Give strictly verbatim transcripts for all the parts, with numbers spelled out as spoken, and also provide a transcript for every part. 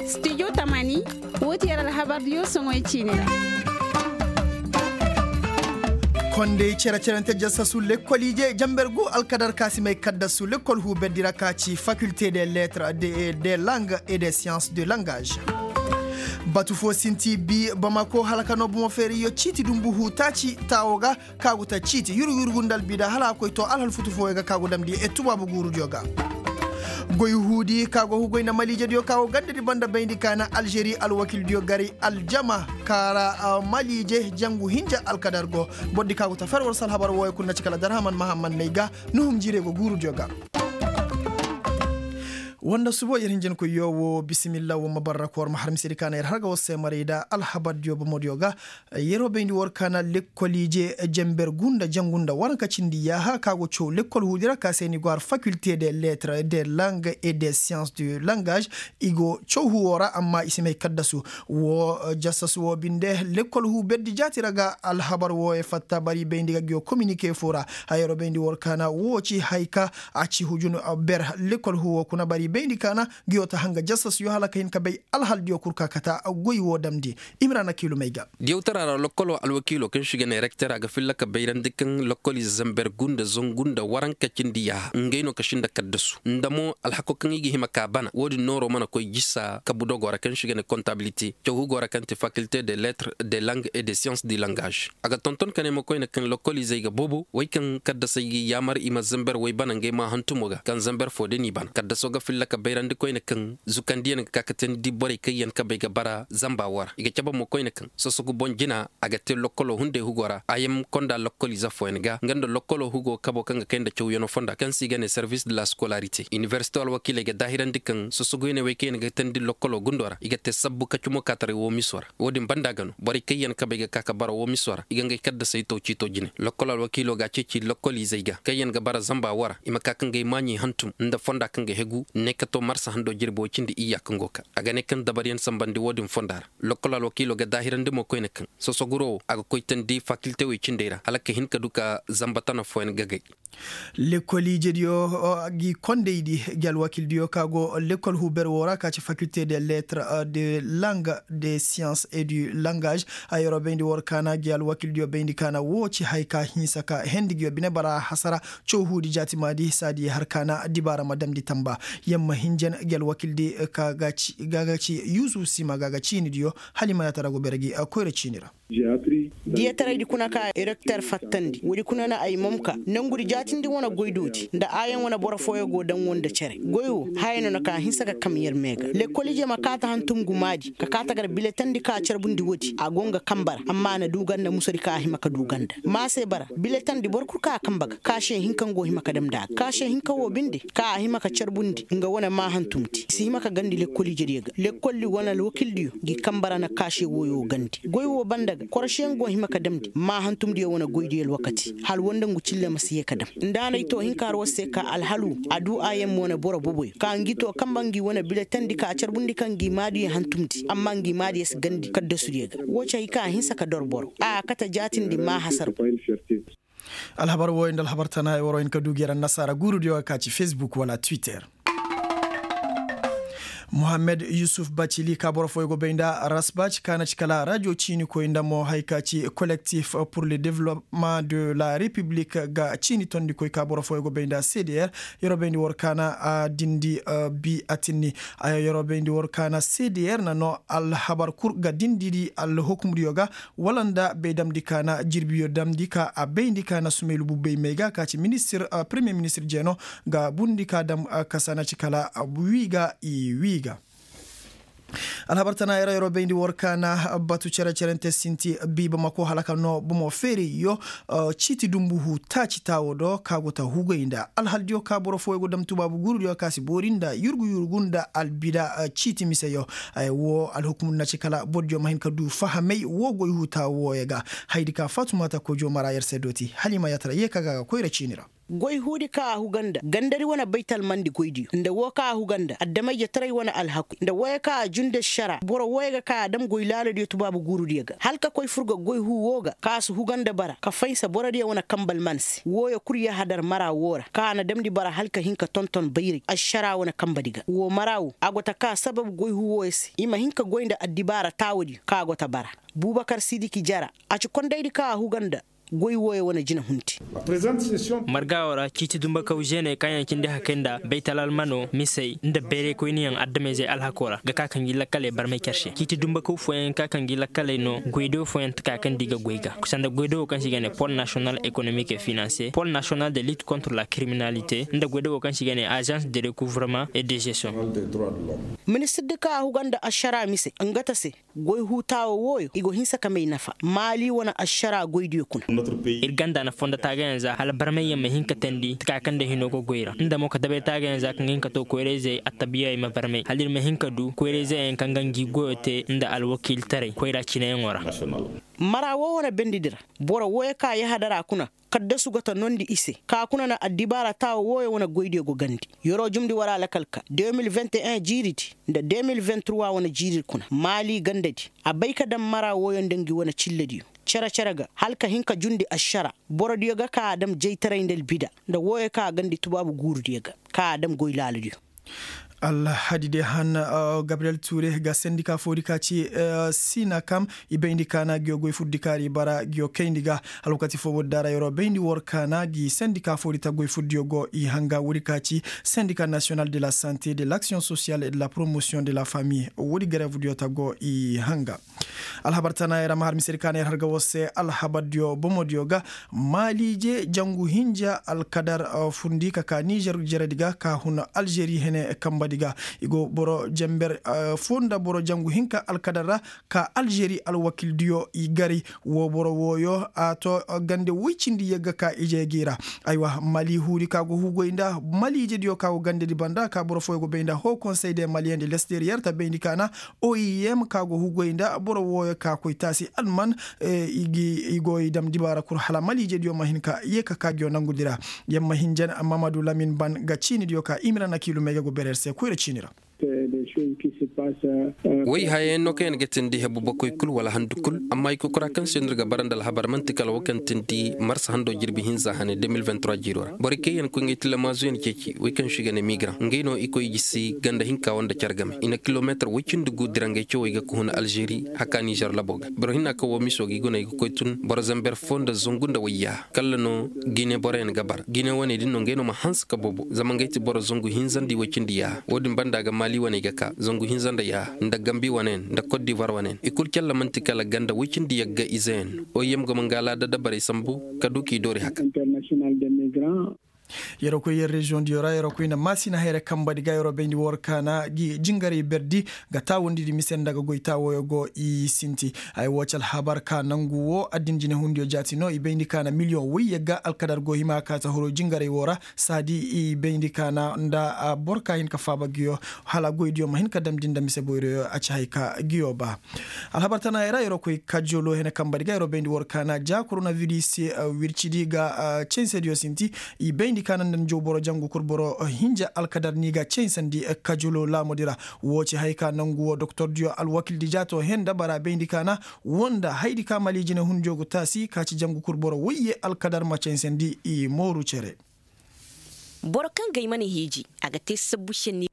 Studio tamani. Woo ti yer alhabardiyo soŋoy ciini ra. Kondey cere-cerente jasasu lekkol ije jamber gu alkadar ka si may kaddasu lekkol huuberdi ra ka ci faculté des lettres, des langues et des sciences de langage. Batu foo sinti bi bamako hala ka noo bomo feeriyo ciiti dumbu huu taaci taawo ga, ka go ta ciiti yurgu yurgu nda albida hala a koy to alhal futu fooyo ga ka go damndi e tubaabu guurudiyo ga. Goy huudi ka go hugoy nda maliijediyo ka go gandadi banda bayndi ka na alžeri alwakildiyo gari aljama ka ra. Maliije jangu hinja alkadar go. Bordi ka go ta fer war se alhabar wooyo kul na ci kala darhaman mahamman nay ga nuhum jiirey go guurudiyo ga. Woo nda subo yer hinjankoyyo woo bisimilla woo ma barra ka war ma har misedi ka na yer har ga war se maray nda alhabardiyo bomodiyo ga. Yeroo bayndi war ka na lekkol ije jamber gunda jangu nda waranka cindi yaaha ka go caw lekkol huudi ra ka se ni go har faculté des lettres, des langues et des sciences de langage. I go caw huwoo ra amma i si may kaddasu. Woo jassasu woo binde lekkol huu berdi jaati ra ga alhabar wooyo fatta bari bayndi ga ngiyo kominike foo ra. Hayaroo bayndi war ka na woo ci hay ka a ci hujun ber lekkol huwoo kuna bari bayndi ka na ngiyo ta hanga jassasuyo hala ka hin ka bay alhaldiyo kul ka kata goy woo damndi. Imrana kiilumey ga. Diyawtara ra lokkoloo alwakiiloo kaŋ se i ga ne rekter a ga filla ka bayrandi kaŋ lokkoliize zamber gu nda zangu nda waranka cindi yaaha ngey no ka sinda kaddasu nda mo alhakoo kaŋ i ga hima ka bana woodin nooroo mana koy jisa kabu dogoo ra kaŋ se i ga ne kontabilite cawhugoo ra kaŋ ti fakilte de lettres, de langues et de sciences du langage. A ga tonton ka ne ma koyne kaŋ lokkoliizey ga boobo wey kaŋ kaddasey ga i yaamar i ma zamber wey bana ngey maa hantumo ga kaŋ zamber foo din i bana kaddasoo ga filla ka bayrandi koyne kaŋ zukandiyaŋ ga ka ka teendi borey kaŋ yaŋ kabey ga bara zamba woo ra i ga cabe mo koyne kaŋ sosogu boŋ jina a ga te lokkoloo hunday hugoo ra a yam konda lokkol ize fooyaŋ ga nga nda lokkoloo hugoo kaboo kaŋ ga kay nda cawyanoo fonda kaŋ se i ga ne servis de la skolarite inibersite alwakiiley ga daahirandi kaŋ sosoguyaŋ wey kaŋ yaŋ ga teendi lokkoloo gundoo ra i ga te sabbu kacumo kaataray woo misoo ra. Woo din banda ga no borey kaŋ yaŋ kabey ga ka ka bara woo misoo ra i ga ngey kaddasey taw ciito jine lokkol alwakiiloo ga a ceeci lokkol izey ga kaŋ yaŋ ga bara zamba woo ra i ma ka ka ngey maaɲey hantum nda fonda kaŋ ga hegu ne ka too marsa handoo jirbi woy cindi iyya kaŋ go ka a ga ne kaŋ dabaryaŋ sambandi woo din fonda ra. Lokkol alwakiiloo ga daahirandi mo koyne kaŋ sosoguroo woo a ga koy teendi fakilte wey cindey ra hala ka hin ka du ka zamba tana fooyaŋ gagay. Lekkol ijediyo gi kondaydi gi alwakildiyo ka go lekkol huber woo ra ka ci fakilte de lettre, de langue, de science et du langage. Ay yeroo bayndi war kaana gi alwakildiyo bayndi kaana woo ci hay ka hinsa ka hendi gi yo bine bara hasara. Cawhuudi jaatimaadi saadi har kaana dibaara ma damndi tamba. Yamma hinjan gi alwakildi ka ga ci yuusuf sima ga ga ciinidiyo. Hala i ma yaatara go bere gi koyra ciini ra. Diyataraydi kuna ka rekter fattandi woodi kuna na ay momka nangudi jaatindi wane goydoodi nda aayaŋ wane boro fooyo go daŋ wo nda cere goy wo haya no na ka hinsa ka kam yer mee ga lekkol ije ma kaata hantum gumaadi ka kaata gar biletandi ka carbundi woodi a go nga kambara amma a na du ganda musadi ka a hima ka du ganda maa se bara biletandi boro kul ka a kamba ga ka se hinka nga go hima ka damndi a ga ka se hinka wo binde ka a hima ka carbundi nga wane maa hantumdi i si hima ka gandi lekkol ijediyo ga lekkoldi wane alwakildiyo ngi kambara na kaase wooyo gandi goy woo banda ga korosiyaŋ go hima ka damndi maa hantumdiyo wane goydiyo alwakati hala woo nda ngu cille ma si yee ka dam nda a na ay too hinka har war se ka alhalu a duu a yamma wane boro boboyo ka ngi too kamba ngi wane biletandi ka carbundi kaŋ ngi maadiyo hantumdi amma ngi maadiyo si gandi kaddasudiyo ga woo ci hay kaŋ a hinsa ka dor boro a kate jaatindi maa hasar. Alhabar wooyo nda alhabar tana ay waroo hin ka duu gi ra annasaara guurudiyo ga ka ci fesbuk wala twitter. Muhammed yusuf bacili ka boro fooyo go bay nda rasbac ka na ci kala rajo ciinikoy nda mo hay ka ci kolektif pur le development de la repiblik ga ciini tondikoy ka boro fooyo go bay nda cdr. Yeroo bayndi war kaana a dindi bi atinni. Yeroo bayndi war kaana cdr na noo alhabar kul ga dindidi alhukumdiyo ga wala nda bay damndi ka na jirbiyo damndi ka a bayndi ka na sumay lubu bay may ga ka ci ministir premiyer ministir jeeno ga bundi ka dam kasa na ci kala wii ga i wii ga. Alhabar tana yara yaro bayndi war ka na batu cere-cerente sinti bi bamako hala ka noo bomo feeriyo. Ciiti dumbu huu taaci taawo do ka go ta hugay nda alhaldiyo ka boro fooyo go dam tubaabu guurudiyo ka si boori nda yurgu yurgu nda albida ciiti miseyo. Woo alhukumudi na ci kala bordiyo ma hin ka du fahamay woo goy huu taawo wooyo ga. Hayadi ka fatumata kojo mara yer se dooti hala i ma yaatara yee ka ga a ga koyra ciini ra. Goy huudi ka a huga nda gandadi wane baytalmandi goydiyo nda woo ka a huga nda adama-ijetaray wane alhakuy nda wooyo ka a jundi ašaraa boro wooyo ga ka a dam goy laaladiyo tubaabu guurudiyo ga hala ka koy fur ga goy huu woo ga ka a si huga nda bara ka faynsa borodiyo wane kanbe alman se wooyo kul yahadar mara woo ra ka a na damndi bara hala ka hin ka tonton bayray ašaraa wane kanbedi ga woo mara woo a go ta ka sabab goy huu wooyo se i ma hin ka goy nda addibaara taawadiyo ka a go ta bara. Buubakar sidiki jara a ci kondaydi ka a huga nda goy wooyo wane jina hunti. Marga woo ra ciiti dumbakaw žeeney kaŋ yaŋ cindi hakay nda baytal almano misey nda bayraykoyniyaŋ adamizey alhakoo ra ga ka ka ngi lakkaley barmay car se ciiti dumbakaw fooyaŋ ga ka ka ngi lakkaley no goydo fooyaŋ taka kaŋ nda i ga goy ga sanda goydo woo kaŋ se i ga ne pol nasiyonal ekonomik e finanse pol nasiyonal de lit kontre la kiriminalite nda goydo woo kaŋ se i ga ne azans de rekuvrement e de žestion. Ministirdi kaŋ a huga nda ašaraa mise nga ta se goy huu taawo wooyo i go hinsa ka may nafa maali wane ašaraa goydiyo kuna. Ir ganda na fondo taagayaŋ za hala barmayyaŋ ma hin ka teendi taka kaŋ nda hinoo ga goy ra nda mo ka dabay taagayaŋ za kaŋ ga hin ka too koyra-izey attabiya i ma barmay hala ir ma hin ka du koyra-izey yaŋ kaŋ ga ngi goyoo tee nda alwakiiltaray koyra cineyaŋo ra. Mara woo wane bendidi ra boro wooyo ka yahadara kuna kaddasu go ta noondi i se ka kuna na addibaara taawo wooyo wane goydiyo go gandi yeroo jumndi war alakal ka de mil vingt et un jiiridi nda de mil vingt trois wane jiiridi kuna maali gandadi a bay ka daŋ mara wooyo nda ngi wane cillediyo cere-cere ga hala ka hin ka jundi ašaraa borodiyo ga ka a daŋ jaytaray nda albida nda wooyo ka a gandi tubaabu guurudiyo ga ka a daŋ goy laaladiyo. Alhadi de han gabriyel tuure ga sendika foodi ka ci sinakam i bayndi kaana ngiyo goy fuddi kaari bara ngiyo kayndi ga. Alwakati foo woodi daara yeroo bayndi war kaana ngi sendika foodi ta goy fuddiyo go i hanga woodi ka ci sendika nasiyonal de la sante de laksiyoŋ sosiyal et de la promosiyoŋ de la famiy woodi garevdiyo ta go i hanga. Alhabar tana yer a ma har misedi ka na yer har ga war se alhabardiyo bomodiyo ga maaliije jangu hinja alkadar fundi ka ka nizer jeredi ga ka hun alžeri hene kambadi ga i go boro jenber foo nda boro jangu hinka alkadar ra ka alžeri alwakildiyo i gari woo boro wooyo a to gande woy cindi yagga ka ije gi ra. Aywa mali huudi ka go hugoy nda maliijediyo ka go gandedi banda ka boro fooyo go bay nda hoo konsey de maliyen de lesteriyer ta bayndi ka na oim ka go hugoy nda boro wooyo ka koy taasi alman i go i dam dibaara kul hala maliijediyo ma hin ka yee ka ka ngiyo nangudi ra. Yer ma hinjan mamadu lamin ban ga ciinidiyo ka imira na kiilu may ga go bereer se koyra ciini ra. Woy hayayaŋ no kaŋ yaŋ ga tindi hebu bakoy kul wala handu kul amma i kokora kaŋ se no ir ga bara nda alhabar man'ti kala wo kaŋ tindi marsa hando jirbi hinza hane de mil vingt trois jiiro ra borey kaŋ yaŋ koy nga i tillamaazu yaŋ ceeci woy kaŋ se i ga ne migra ngey no i koy i gisi ganda hinka wo nda care game i na kilomeetar woy cindi gu dira ngey cawey ga ka hun alžeri haka nizer labo ga boro hinna kaŋ wo miso ga i guna i ga koy tun boro zamber foo nda zangu nda wayya kalla no gine boroyaŋ ga bara gine wane din no ngey no ma hanse ka bobo zama ngey ti boro zangu hinza nda i woy cindi yaaha wo- din banda ga mali wane ga ka zangu hinza nda yaaha nda gambi wane yaŋ nda kot divoir wane yaŋ i kulu calla man'ti kala ganda woy cindi yagga ize yaŋ oim ga ma nga alaada dabarey sambu ka du k'i doori haka. Yeroo koy yer reziyoŋ diyo ra yeroo koy na maasina hayra kambadi ga yeroo bayndi war kaana gi jingarey berdi ga taawandi di mise nda ga goy taawoyo go i sinti. Ay woo ci alhabar ka nangu woo addin jinehundiyo jaati no i bayndi kaana miliyoŋ woy yagga alkadar go hima ka ta huru jingarey woo ra saadi i bayndi kaana nda boro ka hin ka faaba giyo hala goydiyo ma hin ka damndi nda mise boyroyo a ci hay ka giyo ba. Alhabar tana ay ra yeroo koy kajolo hene kambadi ga yeroo bayndi war kaana ja koronaviris wircidi ga censediyo sinti i bayndi kaana nda njaw boro jangu kul boro hinja alkadar ni ga censandi kajolo laamudi ra. Woo ci hay ka nangu woo doktordiyo alwakildi jaato hen nda bara bayndi kaana woo nda haydi ka mali jinehundiyo go taasi ka ci jangu kul boro woyye alkadar ma censandi i mooru cere. Boro kaŋ ga ay mana hiiji a ga te sabbu šenni.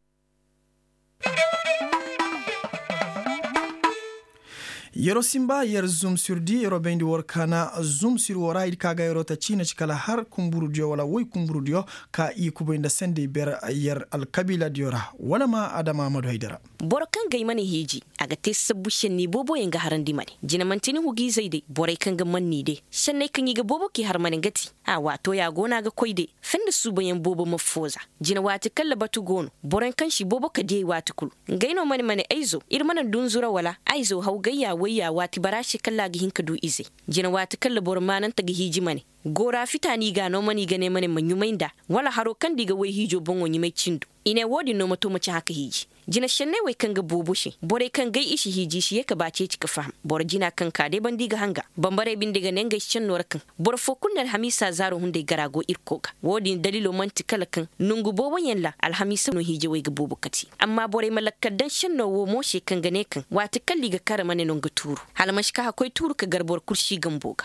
Yeroo sinba yer zumsirdi yeroo bayndi war kaana zumsir woo ra haydi ka ga yeroo ta ciina ci kala har kumburudiyo wala woy kumburudiyo ka i kubay nda sendey ber yer alkabiiladiyo ra wala ma adama amadu haydara. Boro kaŋ ga ay mana hiiji a ga te sabbu šenni booboyaŋ ga harandi mane jina man'ti ni hugiizey day borey kaŋ ga manni day šenney kaŋ i ga boobo k'i har mane nga ti a waatooya go no a ga koy day. Fenda suubayaŋ boobo ma fooza jina waati kalla batu go no boroyaŋ kaŋ si boobo ka diyey waati kul. Ngey no mane mane ayzo ir mana dunzura wala ayzo hawgayya wayya waati bara se kalla a ga hin ka du izey. Jina waati kalla boro maanante ga hiiji mane goora fita no i ga a no mane i ga ne mane ma ɲumay nd'a wala haro kaŋ nda i ga woy hiijo boŋo ɲumay cindo. I ne wo-din no ma to ma ci haka hiiji. Jina šenney wey kaŋ ga boobo se, borey kaŋ gay i si hiiji i si ye ka ba ceeci ka faham. Boro jina kaŋ ka day banda i ga hanga. Bambarey binde ga ne ngey si šenno ra kaŋ boro fo kulu na alhamiisa zaaro hunday gara go irko ga. Wo-din daliilo man'ti kala kaŋ nongu booboyaŋ ra alhamiisa no hiijawey ga boobo kati. Amma borey ma lakkal daŋ šenno wo mo se kaŋ ga ne kaŋ waati kalla i ga kar ma ne no nga tuuru, hala man'si ka hakkoy tuuru ka gar boro kul si gambo ga.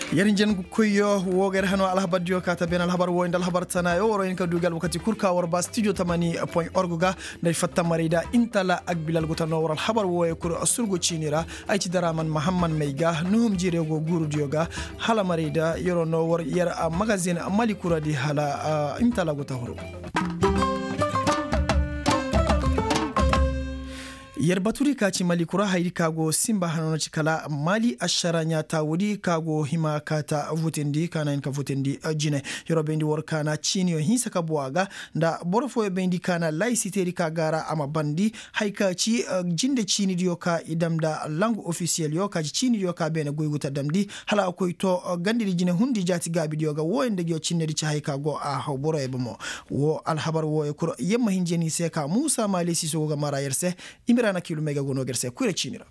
Yer hinjankoyyo, wo ga yer hano alhabardiyo ka ta beene alhabar wooyo nda alhabar tanaayo war wo hin ka du gi alwakati kul ka war ba stijo tamani point org ga. Nda ay fatta maray da intala agbilal go ta no war alhabar wooyo kul surgo ciini ra. Ay ci daraman mahamman may ga nuhum jiire go guurudiyo ga. Hala maray da yer wo no war yer magazin mali kuradi hala intala go ta huru. Yer batudi ka ci mali kura haydi ka go simba hano no ci kala mali ašara ɲaata woodi ka go hima ka ta votindi ka na hin ka votindi. Jine yer wo bayndi war ka na ciiniyo hinsa ka bowa ga nda boro fooyo bayndi ka na laysiteedi ka gaara a ma bandi. Hay ka ci jinde ciinidiyo ka i dam nda langu ofisiyelyo ka ci ciinidiyo ka beene goy go ta damndi hala a koy to gandedi jine hundi jaati gaabidiyo ga wooyo nda ngiyo cinnedi ci hay ka go a haw boroyo bomo. Wo alhabar wooyo kul yer ma hinja ni se ka muusa maali siiso go ga mara yer se. Imiraana kiilumey ga go no ga yer se kure ciini ra.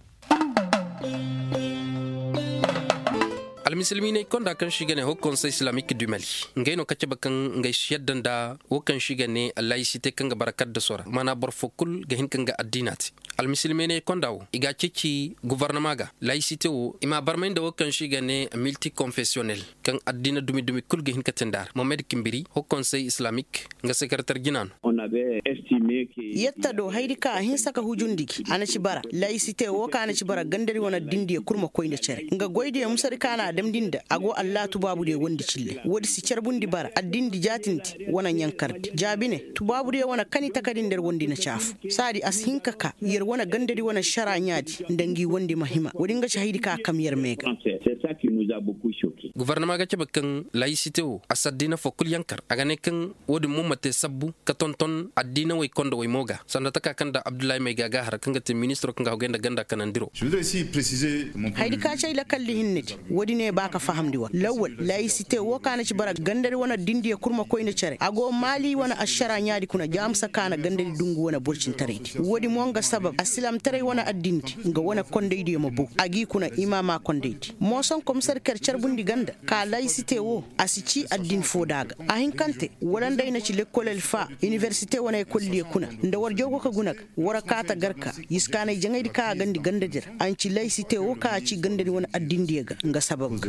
Almisilminey konda kaŋ se i ga ne hokkonse islamik du mali, ngey no ka cabe kaŋ ngey si yadda nda wo kaŋ se i ga ne layisite kaŋ ga bara kaddaso ra maana boro fo kul ga hin ka nga addiina te. Almisilminey konda wo i ga a ceeci gofornama ga layisite wo i m'a barmay nda wo kaŋ se i ga ne miltikonfesiyonel, kaŋ addiina dumi dumi kul ga hin ka te nda a ra mohamed kimbiri hokkonse islamik. Nga sekereter jina no. Yetta do haydi kaŋ a hinsa ka hujundi gi a na ci bara layisite wo kaŋ a na ci bara gandadi wane addindiyo kul ma koy nda cere nga goydiyo musadi kaŋ a na a damndi nda a go allaha tubaabudiyo wondi cille woodi si carbundi bara addindi jaatindi wane ɲankardi jaabi ne tubaabudiyo wane kani takadi nda yer wondi na caafu. Saadi a si hin ka ka yer wane gandadi wane ašara ɲaadi nda ngi wondi ma hima woodi nga ci haydi kaŋ a kam yer mee ga. Gofornama ga cabe kaŋ layisite wo a si addiina fo kul yankar a ga ne kaŋ wo-din mo ma te sabbu ka tonton addiina woy konda woy mo ga sanda taka kaŋ nda abdullahi mayga ga a har kaŋ ga te ministiro kaŋ ga hogay nda ganda kanandiro. Haydi ka ci ay lakalli hinnedi wo-din ne ba ka fahamndi war lawwal layisite wo kaŋ a na ci bara gandadi wane addindiyo kul ma koy nda cere a go maali wane ašara ɲaadi kuna jaamsa kaŋ a na gandadi dungu wane borcintaraydi wo-din mo nga sabab asilaamtaray wane addindi nga wane kondaydiyo ma bow a g'i kuna i ma a maa kondaydi mooson komisar ker carbundi ganda ka layisite wo a si cii addin foo da a ga a hinkante wala nda ay na ci lekkol alfa iniwersite wane ekoldiyo kuna nda war jaw go ka guna ga war kaata garka yiskaanay jaŋaydi kaŋ a gandi gandadi ra a na ci layisite wo kaŋ a cii gandadi wane addindiyo ga nga sabab ga.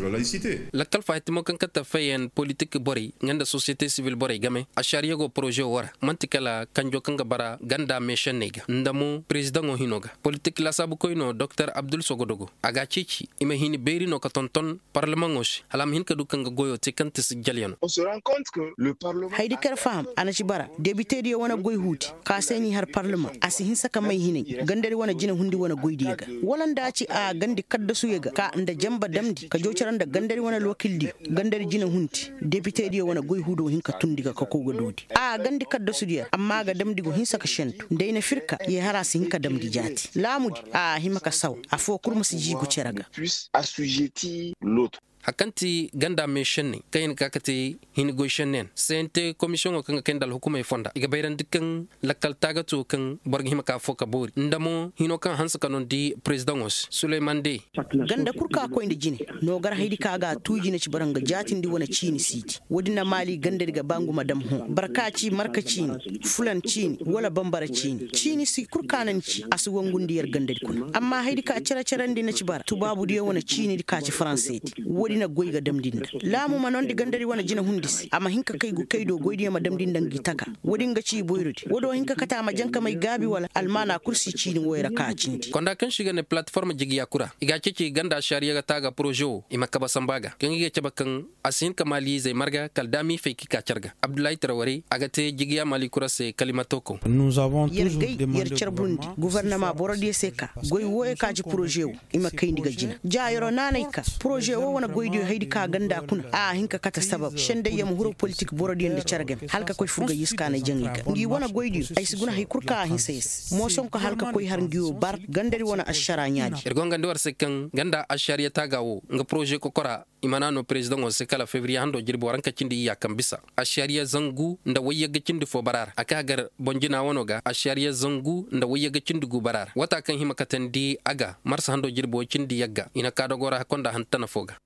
Lakkal faahittimo kaŋ kate fayen politik borey nga nda sosiyete sibil borey game ašariya go poroze wo ra man'ti kala kanjo kaŋ ga bara ganda meešenney ga nda mo perezidaŋo hino ga politik laasaabukoy no doktor abdul sogodogo a ga a ceeci i ma hini beeri no ka tonton parlamaŋo se hala a ma hin ka du ka nga goyo te kaŋ ti sijjalyanoo. Haydi kaŋ yer faham a na ci bara debitediyo wane goy huudi ka se n'i har parlamaŋ a si hinsa ka may hinay gandadi wane jinahundi wane goydiyo ga wala nda a ci a gandi kaddasuyo ga ka nda janba damndi ka joocira nda gandadi wane lookildiyo gandadi jinahundi debitediyo wane goy huudo hin ka tundi ga ka kow ga doodi a gandi kaddasudiyo ra amma a ga damndi go hinsa ka šentu nda ay na fir ka ye har a si hin ka damndi jaati laamudi a hima ka saw afoo kul ma si jiigu cere ga. Har kaŋ ti ganda meešenney kaŋ i na ka ka te hini goy šenneyaŋ sente komisiyoŋo kaŋ ga kay nda alhukumey fonda i ga bayrandi kaŋ lakkal taagati wo kaŋ boro ga hima ka foo ka boori nda mo hino kaŋ hanse ka nondi perezidaŋo se suleyman de. Ganda kul kaŋ a koy nda jine no gar haydi kaŋ a ga a tuuji na ci bara nga jaatindi wane ciini siiti woodin na maali gandadi ga ba ngu ma dam hõ barka ci marka ciini fulan ciini wala bambara ciini ciini si kul kaŋ a na ni ci a si wangundi yer gandadi kuna amma haydi kaŋ a cere-cerandi na ci bara tubaabudiyo wane ciinidi kaŋ a ci faranseedi woodi na goy ga damndi nda laamu ma noondi gandadi wane jinahundi se a ma hin ka kay gu kay do goydiyo ma damndi nda ngi taka woodi nga ci i boyrodi woodi wo hin ka kate a ma jankamay gaabi wala almaana kul si ciini woy ra kaŋ a cindi. Konda kaŋ se i ga ne palatiform jigiya kura i ga a ceeci ganda ašariya ga taaga poroze wo i ma kabe samba ga kaŋ i ga cabe kaŋ a si hin ka maaliizey marga kala daami fay ka i ka care ga abdullahi tarawarey a ga te jigiya maali kura se kalimato kaw. Yer gay yer carbundi gofornama borodiyo se ka goy wooyo ka ci poroze wo i ma kayndi ga jina ja yeroo naanay ka poroze wo wane goy. Haydi ka ganda kuna a hin ka kate sabab sendey ya ma huro politik borodiyo nda cere game hala ka koy furgay ya si kaanay jaŋay ga ngi wane goydiyo. Ay si guna hay kul kaŋ a hinsa ya se mooson ka hala ka koy har ngiyo bar gandadi wane ašara ɲaadi. Ir go nga nda war se kaŋ ganda ašariya taaga wo nga poroze kokora. I mana no perezidaŋo se kala febriye hando jirbi waranka cindi iyya kaŋ bisa ašariya zangu nda wayyagga cindi fo bara ra a ka gar boŋ jina wano ga ašariya zangu nda wayyagga cindi gu bara ra wata kaŋ hima katandi a ga marsa hando jirbi way cindi yagga i na ka dogo ra konda hantana fo ga.